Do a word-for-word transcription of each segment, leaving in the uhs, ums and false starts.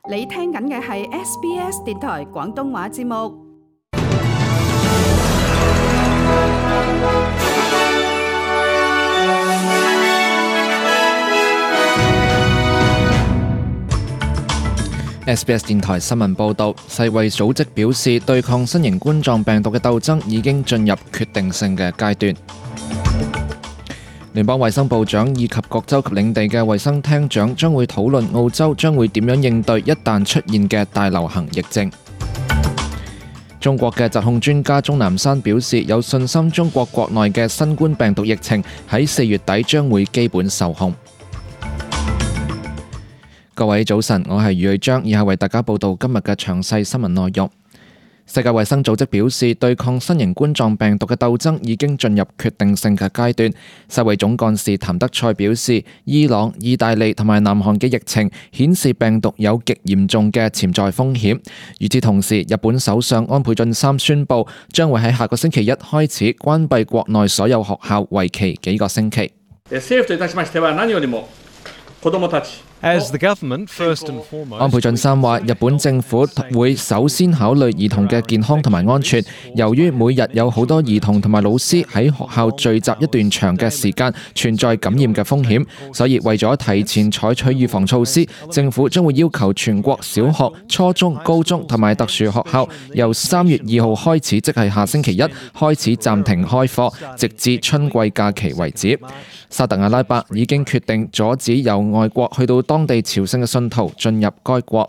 你聽緊嘅係 S B S 電台廣東話節目。S B S 電台新聞報導，世衛組織表示，對抗新型冠狀病毒嘅鬥爭已經進入決定性嘅階段。聯邦衛生部長以及各州及領地嘅衛生廳長將會討論澳洲將會點樣應對一旦出現嘅大流行疫症。中國嘅疾控專家鍾南山表示，有信心中國國內嘅新冠病毒疫情喺四月底將會基本受控。各位早晨，我係余瑞章，以下為大家報道今日嘅詳細新聞內容。世界衛生組織表示，對抗新型冠狀病毒嘅鬥爭已經進入決定性嘅階段。世衛總幹事譚德塞表示，伊朗、意大利同埋南韓嘅疫情顯示病毒有極嚴重嘅潛在風險。與此同時，日本首相安倍晉三宣布，將會喺下個星期一開始關閉國內所有學校，為期幾個星期。政府といたしましては何よりも子供たち。As the government, first and foremost, 安倍晉三話，日本政府會首先考慮兒童嘅健康同埋安全。由於每日有好多兒童同埋老師喺學校聚集一段長嘅時間，存在感染嘅風險，所以為咗提前採取預防措施，政府將會要求全國小學、初中、高中同埋特殊學校由三月二號開始，即係下星期一開始暫停開課，直至春季假期為止。沙特阿拉伯已經決定阻止由外國去到當地朝聖嘅信徒進入該國。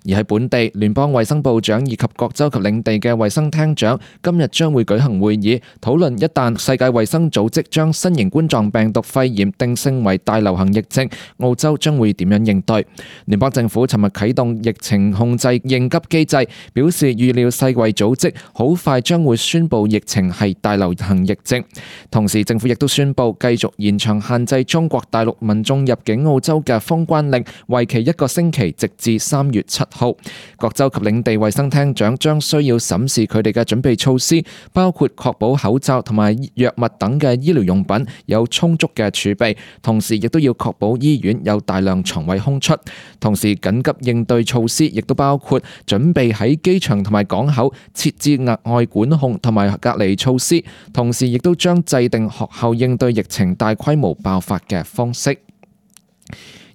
而喺本地，聯邦衛生部長以及各州及領地嘅衛生廳長今日將會舉行會議，討論一旦世界衛生組織將新型冠狀病毒肺炎定性為大流行疫症，澳洲將會點樣應對。聯邦政府尋日啟動疫情控制應急機制，表示預料世衛組織好快將會宣布疫情係大流行疫症。同時，政府亦都宣布繼續延長限制中國大陸民眾入境澳洲嘅封關令，為期一個星期，直至三月七號。各州及領地衛生廳長將需要審視佢哋嘅準備措施，包括確保口罩同埋藥物等嘅醫療用品有充足嘅儲備，同時亦都要確保醫院有大量床位空出。同時，緊急應對措施亦都包括準備喺機場同埋港口設置額外管控同埋隔離措施，同時亦都將制定學校應對疫情大規模爆發嘅方式。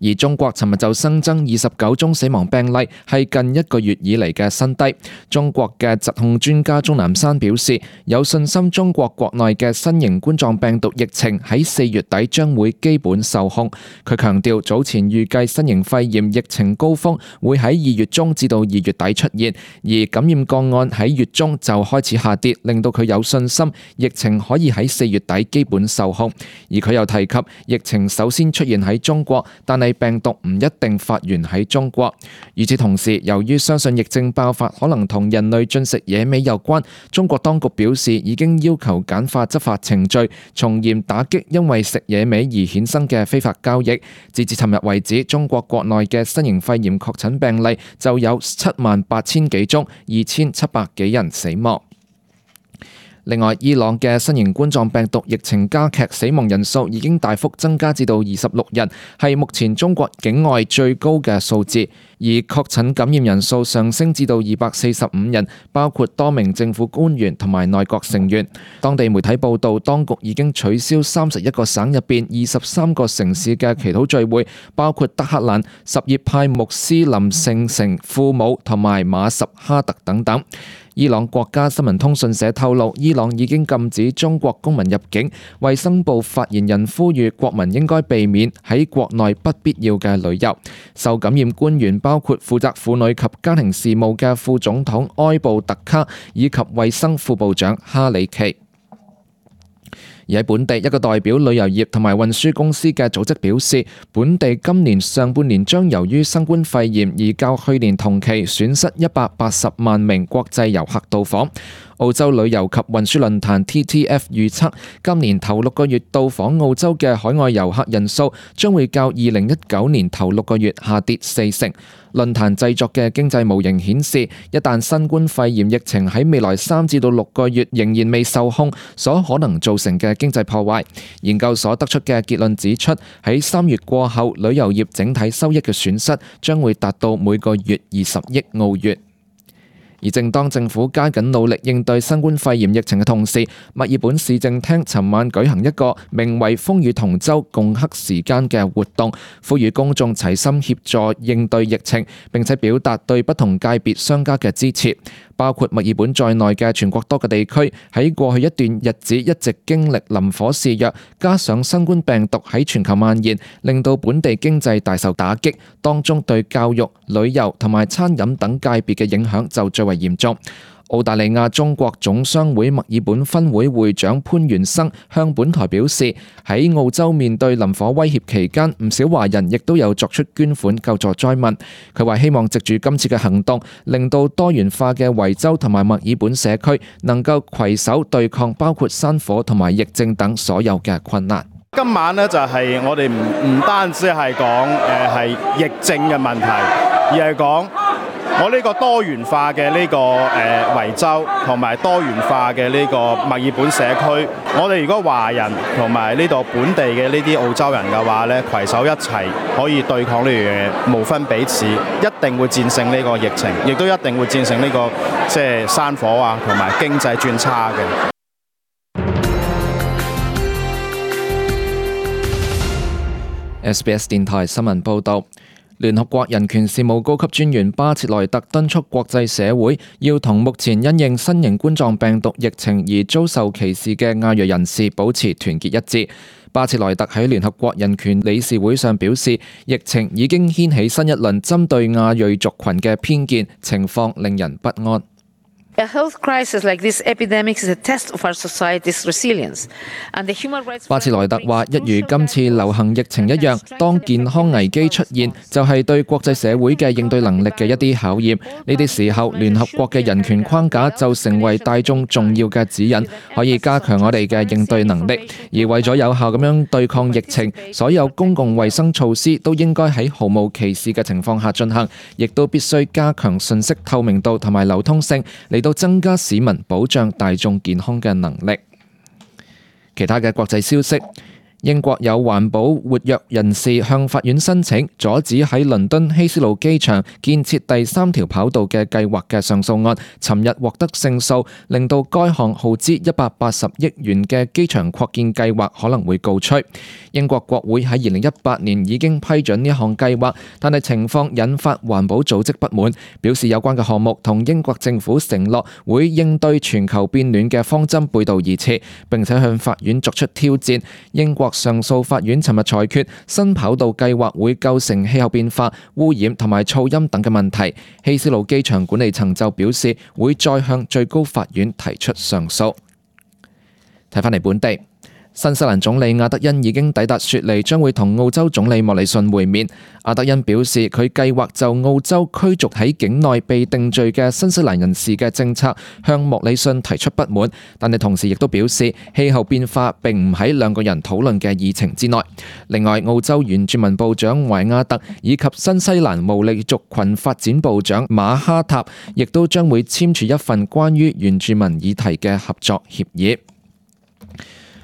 而中國尋日就新增二十九宗死亡病例，係近一個月以嚟嘅新低。中國嘅疾控專家鍾南山表示，有信心中國國內嘅新型冠狀病毒疫情喺四月底將會基本受控。佢強調，早前預計新型肺炎疫情高峰會喺二月中至到二月底出現，而感染個案喺月中就開始下跌，令到佢有信心疫情可以喺四月底基本受控。而佢又提及，疫情首先出現喺中國，但係病毒唔一定發源喺中國。與此同時，由於相信疫症爆發可能同人類進食野味有關，中國當局表示已經要求簡化執法程序，從嚴打擊因為食野味而衍生嘅非法交易。截至尋日為止，中國國內嘅新型肺炎確診病例就有七萬八千幾宗，二千七百幾人死亡。另外，伊朗嘅新型冠狀病毒疫情加劇，死亡人數已經大幅增加至到二十六人，係目前中國境外最高嘅數字。而確診感染人數上升至到二百四十五人，包括多名政府官員同埋內閣成員。當地媒體報道，當局已經取消三十一個省入邊二十三個城市嘅祈禱聚會，包括德黑蘭、什葉派穆斯林聖城庫姆同埋馬什哈特等等。伊朗國家新聞通訊社透露，伊朗已經禁止中國公民入境。衛生部發言人呼籲國民應該避免喺國內不必要嘅旅遊。受感染官員包括負責婦女及家庭事務嘅副總統埃布特卡以及衛生副部長哈里奇。而喺本地，一個代表旅遊業同埋運輸公司嘅組織表示，本地今年上半年將由於新冠肺炎而較去年同期損失一百八十萬名國際遊客到訪。澳洲旅遊及運輸論壇 T T F 預測，今年頭六個月到訪澳洲嘅海外遊客人數將會較二零一九年頭六個月下跌四成。論壇製作嘅經濟模型顯示，一旦新冠肺炎疫情喺未來三至到六個月仍然未受控，所可能造成嘅經濟破壞。研究所得出嘅結論指出，喺三月過後，旅遊業整體收益嘅損失將會達到每個月二十億澳元。而正當政府加緊努力應對新冠肺炎疫情嘅同時，墨爾本市政廳尋晚舉行一個名為風雨同舟共克時艱嘅活動，呼籲公眾齊心協助應對疫情，並且表達對不同界別商家嘅支持。包括墨爾本在內嘅全國多個地區喺過去一段日子一直經歷林火肆虐，加上新冠病毒喺全球蔓延，令到本地經濟大受打擊，當中對教育、旅遊同埋餐飲等界別嘅影響就最為嚴重。澳大利亞中國總商會墨爾本分會會長潘元生向本台表示，喺澳洲面對林火威脅期間，唔少華人亦都有作出捐款救助災民。佢話希望藉住今次嘅行動，令到多元化嘅維州同埋墨爾本社區能夠攜手對抗包括山火同埋疫症等所有嘅困難。今晚呢，就係我哋唔唔單止係講誒係疫症嘅問題，而係講我呢個多元化嘅呢個誒維州同埋多元化嘅呢個墨爾本社區，我哋如果華人同埋呢度本地嘅呢啲澳洲人嘅話咧，攜手一齊可以對抗呢樣嘢，無分彼此，一定會戰勝呢個疫情，亦都一定會戰勝呢個即係山火啊同埋經濟轉差嘅。S B S 電台新聞報導。聯合國人權事務高級專員巴切萊特敦促國際社會要同目前因應新型冠狀病毒疫情而遭受歧視嘅亞裔人士保持團結一致。巴切萊特喺聯合國人權理事會上表示，疫情已經掀起新一輪針對亞裔族群嘅偏見，情況令人不安。A health crisis like this epidemic is a test of our society's resilience. And the human rights 巴切萊特話，一如今次流行疫情一樣，當健康危機出現，就係對國際社會嘅應對能力嘅一啲考驗。呢啲時候，聯合國嘅人權框架就成為大眾重要嘅指引，可以加強我哋嘅應對能力。而為咗有效咁樣對抗疫情，所有公共衛生措施都應該喺毫無歧視嘅情況下進行，亦都必須加強信息透明度同埋流通性，嚟到增加市民保障大眾健康嘅能力。其他嘅國際消息，英國有環保活躍人士向法院申請阻止喺倫敦希斯路機場建設第三條跑道嘅計劃嘅上訴案，尋日獲得勝訴，令到該項耗資一百八十億元嘅機場擴建計劃可能會告吹。英國國會喺二零一八年已經批准呢項計劃，但係情況引發環保組織不滿，表示有關嘅項目同英國政府承諾會應對全球變暖嘅方針背道而馳，並且向法院作出挑戰。英國上訴法院尋日裁決，新跑道計劃會構成氣候變化、污染同埋噪音等嘅問題。希斯路機場管理層就表示會再向最高法院提出上訴。睇返嚟本地。新西蘭總理阿德恩已經抵達雪梨，將會同澳洲總理莫里遜會面。阿德恩表示，佢計劃就澳洲驅逐喺境內被定罪嘅新西蘭人士嘅政策向莫里遜提出不滿，但係同時亦都表示氣候變化並唔喺兩個人討論嘅議程之內。另外，澳洲原住民部長懷亞特以及新西蘭毛利族群發展部長馬哈塔亦都將會簽署一份關於原住民議題嘅合作協議。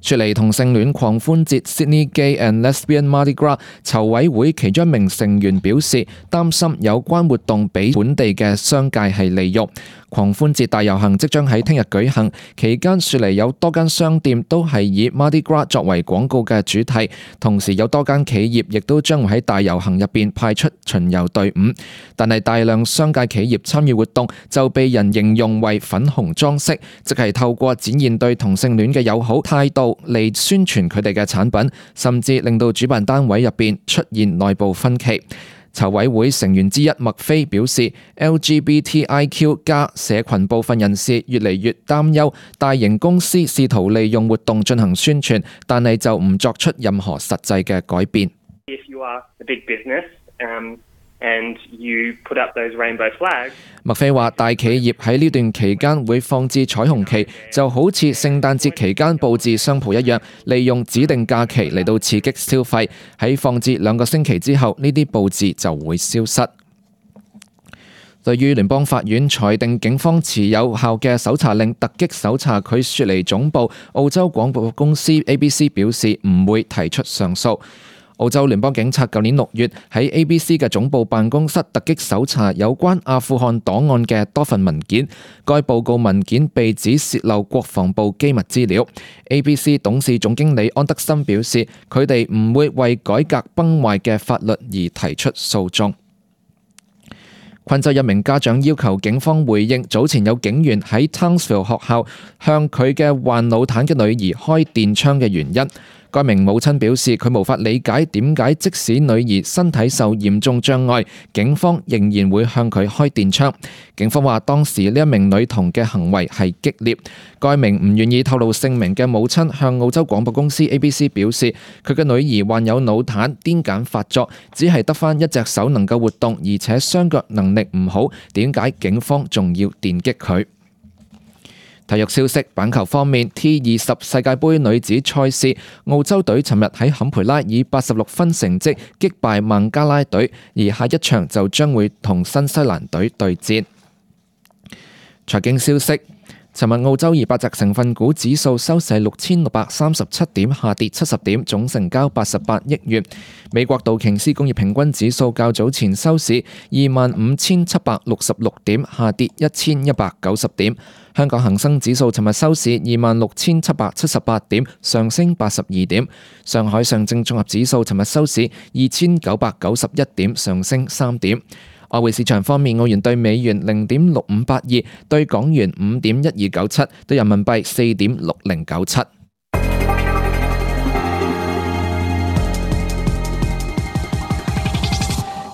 雪梨同性戀狂歡節 Sydney Gay and Lesbian Mardi Gras 籌委會其中一名成員表示，擔心有關活動俾本地嘅商界係利用。狂歡節大遊行即將喺聽日舉行，期間雪梨有多間商店都係以 Mardi Gras 作為廣告嘅主題，同時有多間企業亦都將會喺大遊行入邊派出巡遊隊伍。但係大量商界企業參與活動就被人形容為粉紅裝飾，即係透過展現對同性戀嘅友好態度嚟宣傳佢哋嘅產品，甚至令到主辦單位入邊出現內部分歧。籌委會成員之一麥菲表示 ，L G B T I Q 加社群部分人士越嚟越擔憂大型公司試圖利用活動進行宣傳，但係就唔作出任何實際嘅改變。If you are a big business, um, and you put up those rainbow flags. 麥菲話：大企業喺呢段期間會放置彩虹旗，就好似聖誕節期間佈置商鋪一樣，利用指定假期嚟到刺激消費。喺放置兩個星期之後，呢啲佈置就會消失。對於聯邦法院裁定警方持有效嘅搜查令突擊搜查佢雪梨總部，澳洲廣播公司 A B C 表示唔會提出上訴。澳洲聯邦警察舊年六月喺 A B C 嘅總部辦公室突擊搜查有關阿富汗檔案嘅多份文件，該報告文件被指洩漏國防部機密資料。A B C 董事總經理安德森表示，佢哋唔會為改革崩壞嘅法律而提出訴訟。昆州一名家長要求警方回應早前有警員喺 Townsville 學校向佢嘅患腦癱嘅女兒開電槍嘅原因。該名母親表示，佢無法理解點解即使女兒身體受嚴重障礙，警方仍然會向佢開電槍。警方話當時呢一名女童嘅行為係激烈。該名唔願意透露姓名嘅母親向澳洲廣播公司 A B C 表示，佢嘅女兒患有腦癱、癲癇發作，只係得返一隻手能夠活動，而且雙腳能力唔好，點解警方仲要電擊佢？體育消息，板球方面 ，T 二十世界盃女子賽事，澳洲隊尋日喺坎培拉以八十六分成績擊敗孟加拉隊，而下一場就將會同新西蘭隊對戰。財經消息，尋日澳洲二百隻成分股指數收市六千六百三十七點，下跌七十點，總成交八十八億元。美國道瓊斯工業平均指數較早前收市二萬五千七百六十六點，下跌一千一百九十點。香港恒生指數尋日收市二萬六千七百七十八點，上升八十二點。上海上證綜合指數尋日收市二千九百九十一點，上升三點。外匯市場方面，澳元對美元零點六五八二，對港元五點一二九七，對人民幣四點六零九七。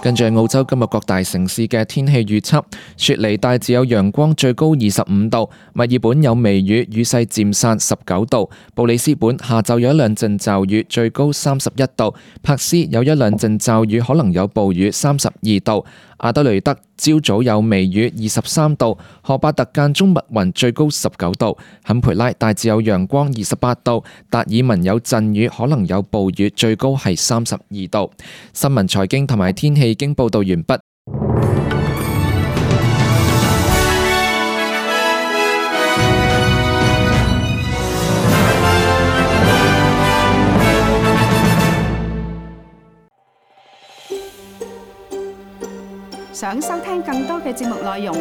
跟住澳洲今日各大城市嘅天氣預測：雪梨大致有陽光，最高二十五度；墨爾本有微雨，雨勢漸散，十九度；布里斯本下晝有一兩陣驟雨，最高三十一度；珀斯有一兩陣驟雨，可能有暴雨，三十二度；阿德雷德朝早有微雨，二十三度；荷巴特間中密雲，最高十九度；坎培拉大致有陽光，二十八度；達爾文有陣雨，可能有暴雨，最高係三十二度。新聞、財經同埋天氣已經報道完畢。想收聽更多嘅節目內容，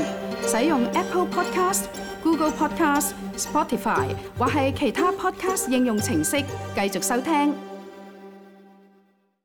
使用 Apple Podcast、Google Podcast、Spotify 或係其他 Podcast 應用程式繼續收聽。